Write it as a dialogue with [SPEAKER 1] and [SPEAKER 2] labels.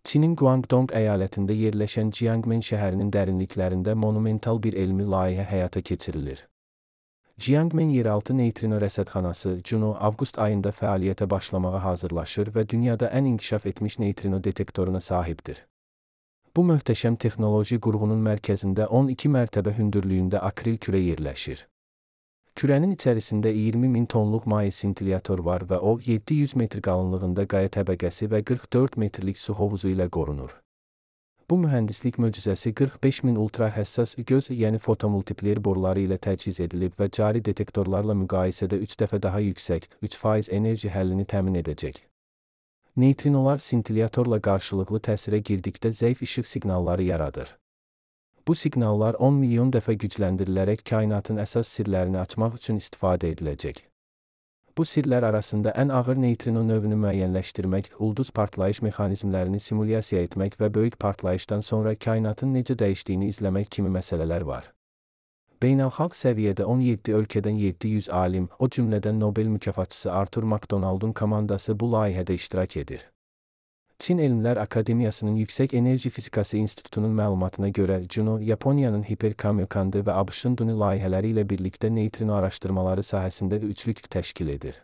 [SPEAKER 1] Çinin Guangdong əyalətində yerləşən Jiangmen şəhərinin dərinliklərində monumental bir elmi layihə həyata keçirilir. Jiangmen yeraltı neytrino rəsədxanası Juno avqust ayında fəaliyyətə başlamağa hazırlaşır və dünyada ən inkişaf etmiş neytrino detektoruna sahibdir. Bu möhtəşəm texnoloji qurğunun mərkəzində 12 mərtəbə hündürlüyündə akril kürə yerləşir. Kürənin içərisində 20.000 tonluq maye sintiliator var və o 700 metr qalınlığında qaya təbəqəsi və 44 metrlik su hovuzu ilə qorunur. Bu mühəndislik möcüzəsi 45.000 ultra həssas göz, yəni fotomultiplier boruları ilə təchiz edilib və cari detektorlarla müqayisədə 3 dəfə daha yüksək, 3% enerji həllini təmin edəcək. Neytrinolar sintiliatorla qarşılıqlı təsirə girdikdə zəif işıq siqnalları yaradır. Bu siqnallar 10 milyon dəfə gücləndirilərək kainatın əsas sirlərini açmaq üçün istifadə ediləcək. Bu sirlər arasında ən ağır neytrino növünü müəyyənləşdirmək, ulduz partlayış mexanizmlərini simulyasiya etmək və böyük partlayışdan sonra kainatın necə dəyişdiyini izləmək kimi məsələlər var. Beynəlxalq səviyyədə 17 ölkədən 700 alim, o cümlədən Nobel mükafatçısı Arthur McDonald'un komandası bu layihədə iştirak edir. Çin Elmlər Akademiyasının Yüksək Enerji Fizikası İnstitutunun məlumatına görə Juno, Yaponiyanın Hiperkamyokandı və ABŞ-ın Duni layihələri ilə birlikdə neytrino araşdırmaları sahəsində üçlük təşkil edir.